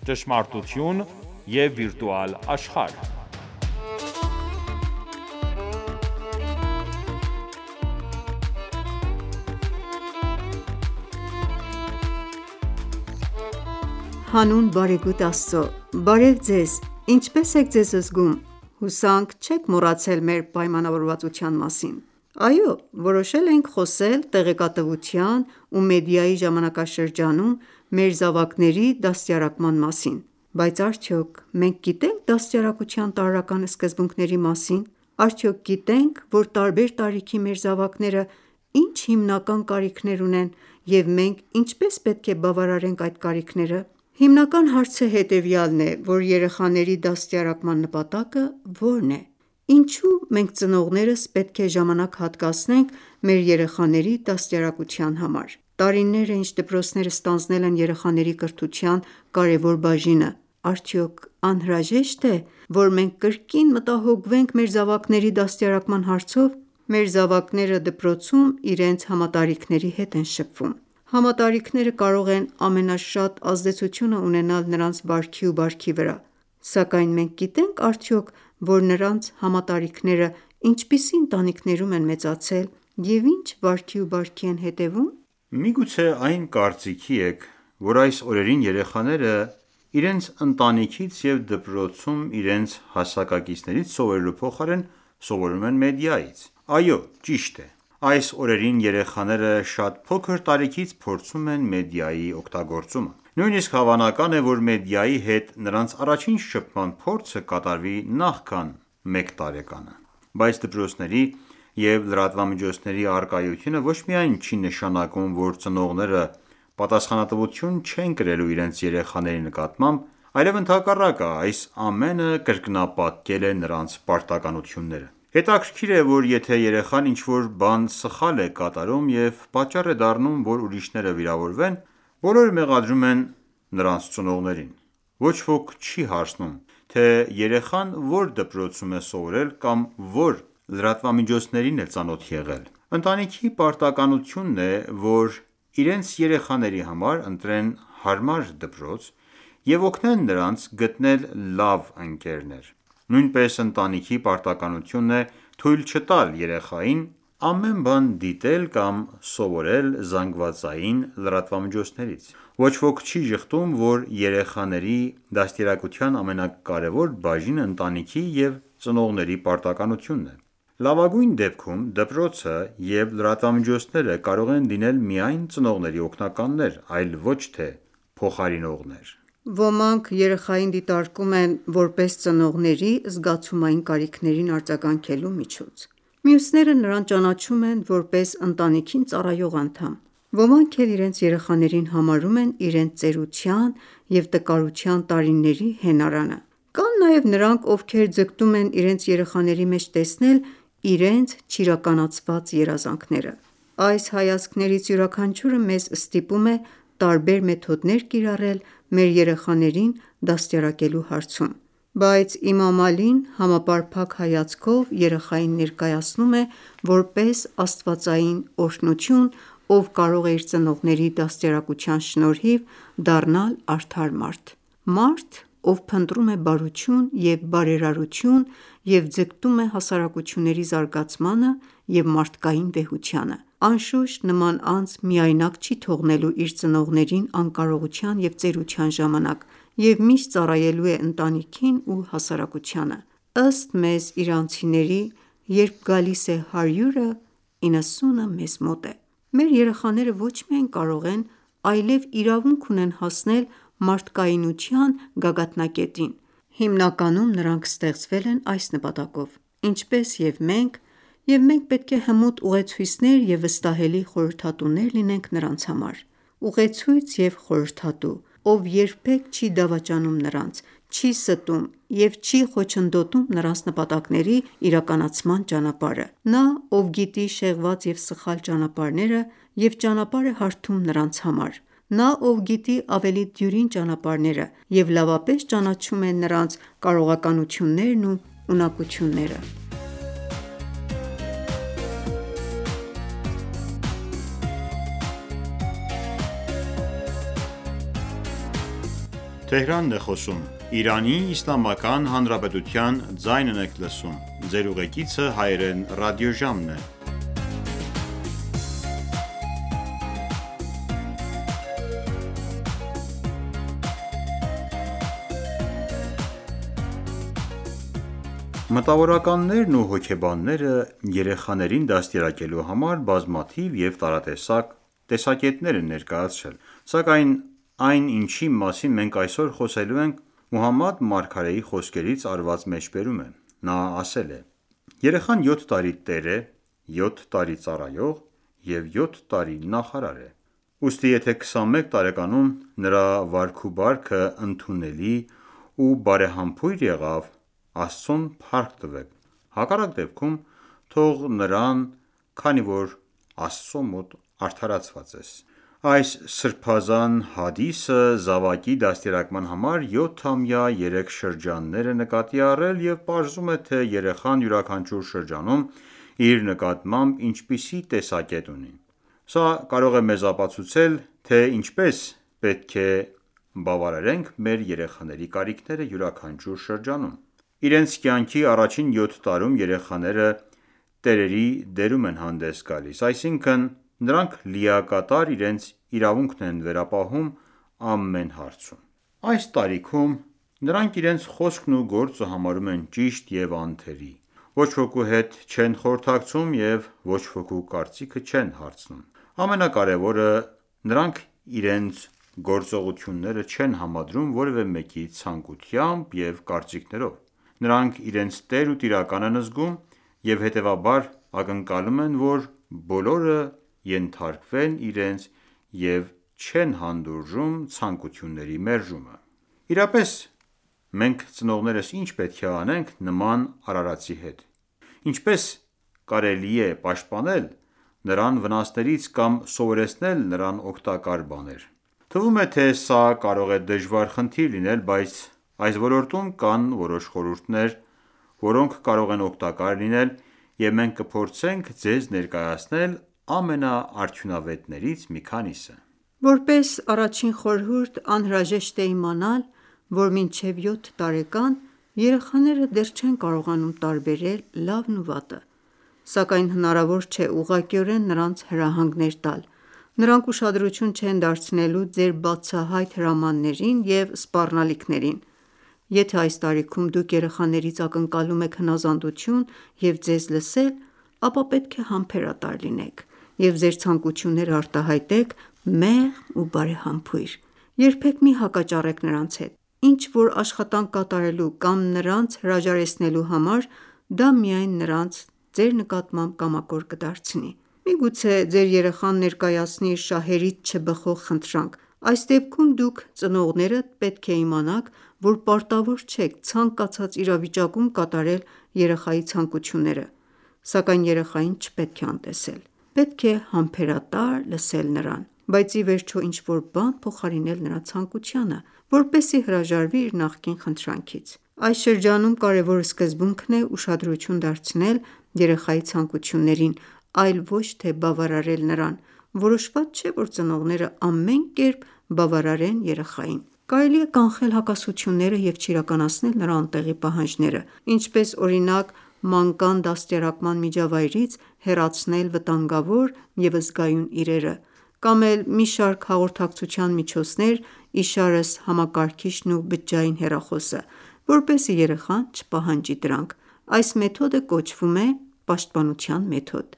ճշմարտություն և վիրտուալ աշխարհ։ Հանուն բարեգութ Աստծո, բարև ձեզ, ինչպե՞ս եք ձեզ զգում: Հուսանք չեք մոռացել մեր պայմանավորվածության մասին: Այո, որոշել ենք խոսել տեղեկատվության ու մեդիայի ժամանակաշրջանում մեր զավակների դաստիարակման մասին: Բայց արդյոք մենք գիտե՞նք դաստիարակության տարրական սկզբունքների մասին: Արդյոք գիտե՞նք, որ տարբեր տարիքի մեր զավակները ինչ հիմնական կարիքներ ունեն և մենք ինչպես պետք է բավարարենք այդ կարիքները: Հիմնական հարցը հետևյալն է, որ երեխաների դաստիարակման նպատակը ո՞րն է: Ինչու մենք ծնողներս պետք է ժամանակ հատկացնենք մեր երեխաների դաստիարակության համար: Տարիներ է ինչ դպրոցները ստանձնել են երեխաների կրթության կարևոր բաժինը: Արդյոք անհրաժե՞շտ է, որ մենք կրկին մտահոգվենք մեր զավակների դաստիարակման հարցով: Մեր զավակները դպրոցում իրենց համատարիքների հետ են շփվում: Համատարիքները կարող են ամենաշատ ազդեցությունը ունենալ նրանց վարքի ու բարքի վրա: Սակայն մենք գիտե՞նք արդյոք, որ նրանց համատարիքները ինչպիսի ընտանիքներում են մեծացել և ինչ վարքի ու բարքի են հետևում: Միգուցե այն կարծիքի եք, որ այս օրերին երեխաները իրենց ընտանիքից և դպրոցում իրենց հասակակիցներից սովորելու փոխարեն սովորում են մեդիայից: Այո, ճիշտ է: Այս օրերին երեխաները շատ փոքր տարիքից փորձում են մեդիայի օգտագործումը: Նույնիսկ հավանական է, որ մեդիայի հետ նրանց առաջին շփման փորձը կատարվի նախքան մեկ տարեկանը: Բայց դպրոցների և լրատվամիջոցների առկայությունը ոչ միայն չի նշանակում, որ ծնողները պատասխանատվություն չեն կրելու իրենց երեխաների նկատմամբ, այլև ընդհակառակը, այս ամենը կրկնապատկել է նրանց պարտականությունները: Հետաքրքիր է, որ եթե երեխան ինչ-որ բան սխալ է կատարում և պատճառ է դառնում, որ ուրիշները վիրավորվեն, բոլորը մեղադրում են նրանց ծնողներին: Ոչ ոք չի հարցնում, թե երեխան որ դպրոցում է սովորել կամ որ լրատվամիջոցներին է ծանոթ եղել: Ընտանիքի պարտականությունն է, որ իրենց երեխաների համար ընտրեն հարմար դպրոց և օգնեն նրանց գտնել լավ ընկերներ: Նույնպես ընտանիքի պարտականությունն է թույլ չտալ երեխային ամեն բան դիտել կամ սովորել զանգվածային լրատվամիջոցներից: Ոչ ոք չի ժխտում, որ երեխաների դաստիարակության ամենակարևոր բաժինը ընտանիքի և ծնողների պարտականությունն է: Լավագույն դեպքում դպրոցը և լրատվամիջոցները կարող են լինել միայն ծնողների օգնականներ, այլ ոչ թե փոխարինողներ: Ոմանք երեխային դիտարկում են որպես ծնողների զգացումային կարիքներին արձագանքելու միջոց: Մյուսները նրան ճանաչում են որպես ընտանիքին ծառայող անդամ: Ոմանք էլ իրենց երեխաներին համարում են իրենց ծերության և տկարության տարիների հենարանը: Կան նաև նրանք, ովքեր ձգտում են իրենց երեխաների մեջ տեսնել իրենց չիրականացված երազանքները: Այս հայացքներից յուրաքանչյուրը մեզ ստիպում է տարբեր մեթոդներ կիրառել մեր երեխաներին դաստիարակելու հարցում: Բայց Իմամ Ալին համապարփակ հայացքով երեխային ներկայացնում է որպես աստվածային օրհնություն, ով կարող է իր ծնողների դաստիարակության շնորհիվ դառնալ արդար մարդ: Մարդ, ով փնտրում է բարություն և բարերարություն և ձգտում է հասարակությունների զարգացմանը և մարդկային վեհությանը: Անշուշտ, նման անձ միայնակ չի թողնելու իր ծնողներին անկարողության և ծերության ժամանակ և միշտ ծառայելու է ընտանիքին ու հասարակությանը: Ըստ մեզ իրանցիների, երբ գալիս է 100-ը, 90-ը մեզ մոտ է: Մեր երեխաները ոչ միայն կարող են, այլև իրավունք ունեն հասնել մարդկայնության գագաթնակետին: Հիմնականում նրանք ստեղծվել են այս նպատակով: Ինչպես և մենք պետք է հմուտ ուղեցույցներ և վստահելի խորհրդատուներ լինենք նրանց համար: Ուղեցույց և խորհրդատու, ով երբեք չի դավաճանում նրանց, չի ստում և չի խոչընդոտում նրանց նպատակների իրականացման ճանապարհը: Նա, ով գիտի շեղված և սխալ ճանապարհները և ճանապարհ է հարթում նրանց համար: Նա, ով գիտի ավելի դյուրին ճանապարհները և լավապես ճանաչում է նրանց կարողականություններն ու ունակությունները: Մտավորականներն ու հոգեբանները երեխաներին դաստիարակելու համար բազմաթիվ և տարատեսակ տեսակետներ են ներկայացրել, սակայն այն, ինչի մասին մենք այսօր խոսելու ենք, Մուհամմադ մարգարեի խոսքերից արված մեջբերում է: Նա ասել է. «Երեխան 7 տարի տեր է, 7 տարի ծառայող և 7 տարի նախարար է: Ուստի եթե 21 տարեկանում նրա վարք ու բարքը ընդունելի ու բարեհամբույր եղավ, Աստծուն փառք տվեք, հակառակ դեպքում թող նրան, քանի որ Աստծո մոտ արդարացված ես»: Այս սրբազան հադիսը զավակի դաստիարակման համար 7-ամյա 3 շրջաններ է նկատի առել և պարզում է, թե երեխան յուրաքանչյուր շրջանում իր նկատմամբ ինչպիսի տեսակետ ունի: Սա կարող է մեզ ապացուցել, թե ինչպես պետք է բավարարենք մեր երեխաների կարիքները յուրաքանչյուր շրջանում: Իրենց կյանքի առաջին 7 տարում երեխաները տերերի դերում են հանդես գալիս, այսինքն նրանք լիակատար իրենց իրավունքն են վերապահում ամեն հարցում: Այս տարիքում նրանք իրենց խոսքն ու գործը համարում են ճիշտ և անթերի, ոչ ոքու հետ չեն խորհրդակցում և ոչ ոքու կարծիքը չեն հարցնում: Ամենակարևորը, նրանք իրենց գործողությունները չեն համադրում որևէ մեկի ցանկությամբ և կարծիքներով: Նրանք իրենց տեր ու տիրակալ են զգում և հետևաբար ակնկալում են, որ բոլորը ենթարկվեն իրենց և չեն հանդուրժում ցանկությունների մերժումը: Իրապես, մենք ծնողներս ինչ պետք է անենք նման արարածի հետ: Ինչպե՞ս կարելի է պաշտպանել նրան վնասներից կամ սովորեցնել նրան օգտակար բաներ: Թվում է, թե սա կարող է դժվար խնդիր լինել, բայց այս ոլորտում կան որոշ խորհուրդներ, որոնք կարող են օգտակար լինել և մենք կփորձենք ձեզ ներկայացնել ամենաարդյունավետներից մի քանիսը: Որպես առաջին խորհուրդ, անհրաժեշտ է իմանալ, որ մինչև 7 տարեկան երեխաները դեռ չեն կարողանում տարբերել լավն ու վատը: Սակայն հնարավոր չէ ուղղակիորեն նրանց հրահանգներ տալ: Նրանք ուշադրություն չեն դարձնելու ձեր բացահայտ հրամաններին և սպառնալիքներին: Եթե այս տարիքում դուք երեխաներից ակնկալում եք հնազանդություն և ձեզ լսել, ապա պետք է համբերատար լինեք և ձեր ցանկությունները արտահայտեք մեղմ ու բարեհամբույր: Երբեք մի հակաճառեք նրանց հետ: Ինչ որ աշխատանք կատարելու կամ նրանց հրաժարեցնելու համար, դա միայն նրանց ձեր նկատմամբ կամակոր կդարձնի: Միգուցե ձեր երեխան ներկայացնի իր շահերից չբխող խնդրանք: Այս դեպքում դուք ծնողները պետք է իմանաք, որ պարտավոր չեք ցանկացած իրավիճակում կատարել երեխայի ցանկությունները: Սակայն երեխային չպետք է անտեսել: Պետք է համբերատար լսել նրան, բայց ի վերջո ինչ-որ բան փոխարինել նրա ցանկությանը, որպեսզի հրաժարվի իր նախկին խնդրանքից: Այս շրջանում կարևոր սկզբունքն է ուշադրություն դարձնել երեխայի ցանկություններին, այլ ոչ թե բավարարել նրան: Որոշված չէ, որ ծնողները ամեն կերպ բավարարեն երեխային: Կարելի է կանխել հակասությունները և չիրականացնել նրա անտեղի պահանջները, ինչպես օրինակ մանկան դաստիարակման միջավայրից հեռացնել վտանգավոր և զգայուն իրերը, կամ էլ մի շարք հաղորդակցության միջոցներ, իշարս համակարգիչն ու բջջային հեռախոսը, որպեսզի երեխան չպահանջի դրանք: Այս մեթոդը կոչվում է պաշտպանության մեթոդ: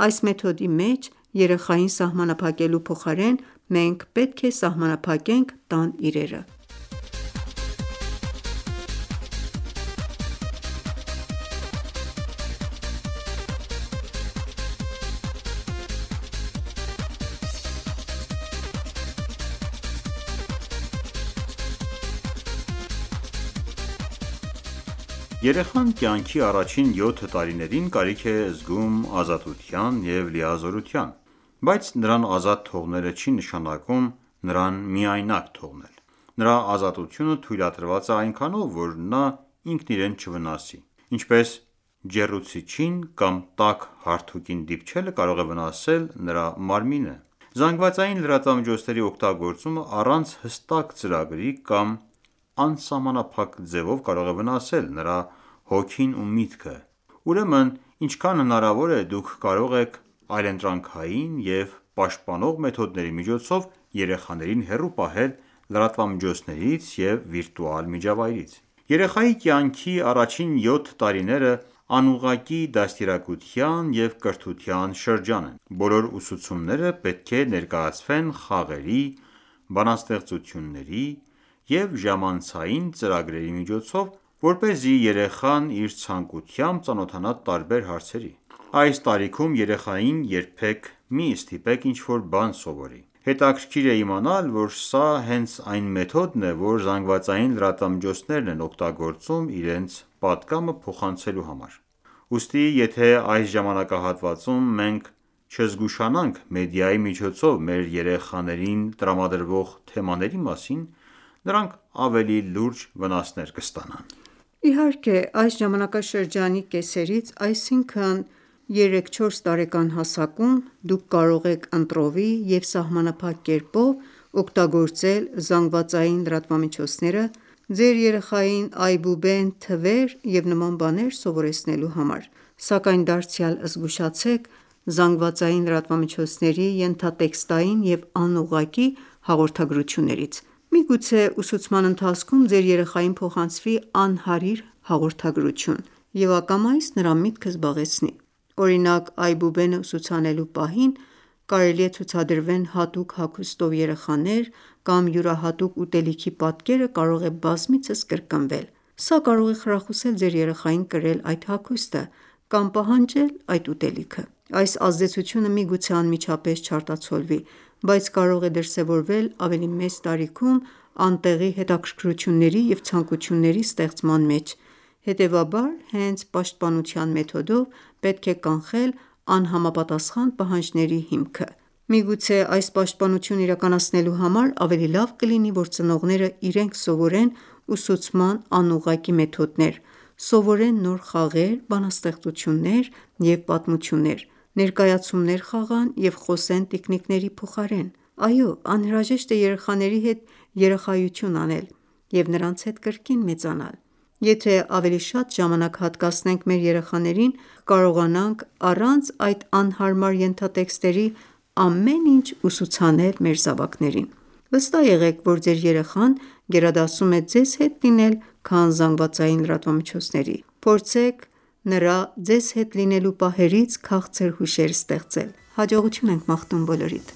Այս մեթոդի մեջ երեխային սահմանափակելու փոխարեն մենք պետք է սահմանափակենք տան իրերը: Երեխան կյանքի առաջին 7 տարիներին կարիք է զգում ազատության և լիազորության: Բայց նրան ազատ թողնելը չի նշանակում նրան միայնակ թողնել: Նրա ազատությունը թույլատրված է այնքանով, որ նա ինքն իրեն չվնասի: Ինչպես ջեռուցիչին կամ տաք հարթուկին դիպչելը կարող է վնասել նրա մարմինը: Զանգվածային լրատվամիջոցների օգտագործումը առանց հստակ ծրագրի կամ անսահմանափակ ձևով կարող է վնասել նրա հոգին ու միտքը: Ուրեմն ինչքան հնարավոր է դուք կարող եք այլընտրանքային և պաշտպանող մեթոդների միջոցով երեխաներին հեռու պահել լրատվամիջոցներից և վիրտուալ միջավայրից: Երեխայի կյանքի առաջին 7 տարիները անուղղակի դաստիարակության և կրթության շրջան են: Բոլոր ուսուցումները պետք է ներկայացվեն խաղերի, բանաստեղծությունների և ժամանցային ծրագրերի միջոցով, որպեսզի երեխան իր ցանկությամբ ծանոթանա տարբեր հարցերի: Այս տարիքում երեխային երբեք մի ստիպեք ինչ-որ բան սովորի: Հետաքրքիր է իմանալ, որ սա հենց այն մեթոդն է, որ ԶԼՄ-ներն են օգտագործում իրենց պատգամը փոխանցելու համար: Ուստի եթե այս ժամանակահատվածում մենք չզգուշանանք մեդիայի միջոցով մեր երեխաներին տրամադրվող թեմաների մասին, նրանք ավելի լուրջ վնասներ կստանան: Իհարկե այս ժամանակաշրջանի կեսերից, այսինքն 3-4 տարեկան հասակում դուք կարող եք ընտրովի և սահմանափակ կերպով օգտագործել ԶԼՄ-ները ձեր երեխային այբուբեն, թվեր և նման բաներ սովորեցնելու համար: Սակայն դարձյալ զգուշացեք ԶԼՄ-ների ենթատեքստային և անուղղակի հաղորդագրություններից: Միգուցե ուսուցման ընթացքում ձեր երեխային փոխանցվի անհարիր հաղորդագրություն և ակամայից նրա միտքը զբաղեցնի: Օրինակ այբուբենը ուսուցանելու պահին կարելի է ցուցադրվեն հատուկ հագուստով երեխաներ կամ յուրահատուկ ուտելիքի պատկերը կարող է բազմիցս կրկնվել: Սա կարող է խրախուսել ձեր երեխային կրել այդ հագուստը կամ պահանջել այդ ուտելիքը: Այս ազդեցությունը միգուցե անմիջապես չարտացոլվի, բայց կարող է դրսևորվել ավելի մեծ տարիքում անտեղի հետաքրքրությունների և ցանկությունների ստեղծման մեջ: Հետևաբար հենց պաշտպանության մեթոդով պետք է կանխել անհամապատասխան պահանջների հիմքը: Միգուցե այս պաշտպանությունն իրականացնելու համար ավելի լավ կլինի, որ ծնողները իրենք սովորեն ուսուցման անուղղակի մեթոդներ, սովորեն նոր խաղեր, բանաստեղծություններ և պատմություններ, ներկայացումներ խաղան և խոսեն տիկնիկների փոխարեն: Այո, անհրաժեշտ է երեխաների հետ երեխայություն անել և նրանց հետ կրկին մեծանալ: Եթե ավելի շատ ժամանակ հատկացնենք մեր երեխաներին, կկարողանանք առանց այդ անհարմար ենթատեքստերի ամեն ինչ ուսուցանել մեր զավակներին: Վստահ եղեք, որ ձեր երեխան գերադասում է ձեզ հետ լինել, քան ԶԼՄ-ների: Փորձեք նրա ձեզ հետ լինելու պահերից քաղցր հուշեր ստեղծել: Հաջողություն ենք մաղթում բոլորիդ: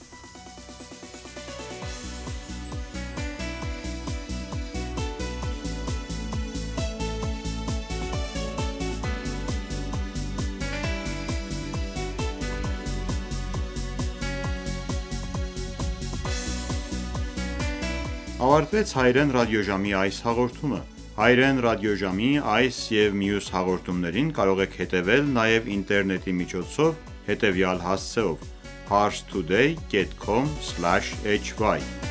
Ավարտվեց Հայրեն ռադիոժամի այս հաղորդումը: Հայրեն ռադիոժամի այս և մյուս հաղորդումներին կարող եք հետևել նաև ինտերնետի միջոցով հետևյալ հասցեով՝ parstoday.com/hy